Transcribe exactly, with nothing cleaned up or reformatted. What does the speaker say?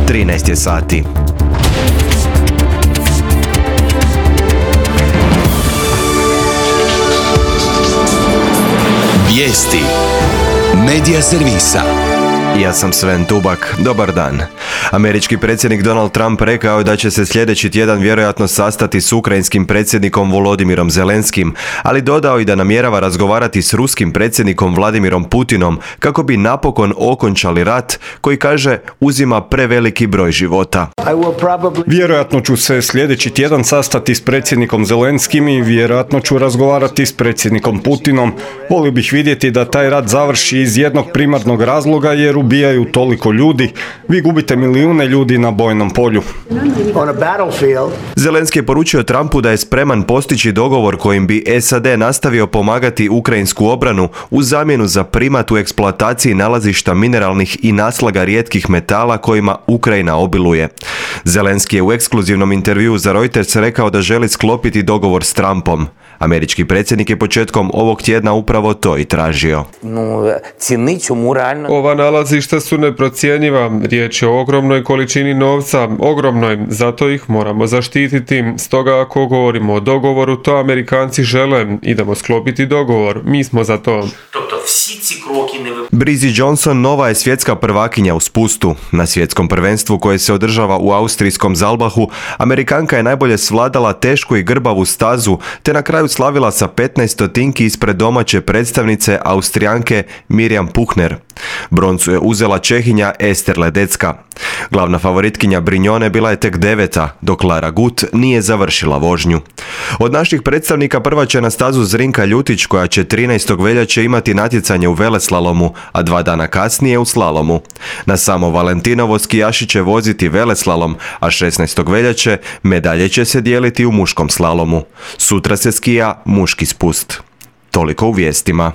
trinaest je sati. Vijesti Medija servisa. Ja sam Sven Tubak. Dobar dan. Američki predsjednik Donald Trump rekao je da će se sljedeći tjedan vjerojatno sastati s ukrajinskim predsjednikom Volodimirom Zelenskim, ali dodao i da namjerava razgovarati s ruskim predsjednikom Vladimirom Putinom kako bi napokon okončali rat koji, kaže, uzima preveliki broj života. Vjerojatno ću se sljedeći tjedan sastati s predsjednikom Zelenskim i vjerojatno ću razgovarati s predsjednikom Putinom. Volio bih vidjeti da taj rat završi iz jednog primarnog razloga, jer ubijaju toliko ljudi. Vi gubite milijune ljudi na bojnom polju. Zelenski je poručio Trumpu da je spreman postići dogovor kojim bi S A D nastavio pomagati ukrajinsku obranu u zamjenu za primat u eksploataciji nalazišta mineralnih i naslaga rijetkih metala kojima Ukrajina obiluje. Zelenski je u ekskluzivnom intervjuu za Reuters rekao da želi sklopiti dogovor s Trumpom. Američki predsjednik je početkom ovog tjedna upravo to i tražio. Ova nalazišta su neprocjenjiva. Riječ je o ogromnoj količini novca, ogromnoj, zato ih moramo zaštititi. Stoga ako govorimo o dogovoru, to Amerikanci žele. Idemo sklopiti dogovor. Mi smo za to. Breezy Johnson nova je svjetska prvakinja u spustu. Na svjetskom prvenstvu koje se održava u austrijskom Zalbahu, Amerikanka je najbolje svladala tešku i grbavu stazu, te na kraju slavila sa petnaest stotinki ispred domaće predstavnice Austrijanke Mirjam Puchner. Broncu je uzela Čehinja Ester Ledecka. Glavna favoritkinja Brignone bila je tek deveta, dok Lara Gut nije završila vožnju. Od naših predstavnika prva će na stazu Zrinka Ljutić, koja će trinaestog veljače imati natjecanje u veleslalomu, a dva dana kasnije u slalomu. Na samo Valentinovo skijaši će voziti veleslalom, a šesnaestog veljače medalje će se dijeliti u muškom slalomu. Sutra se skija muški spust. Toliko u vijestima.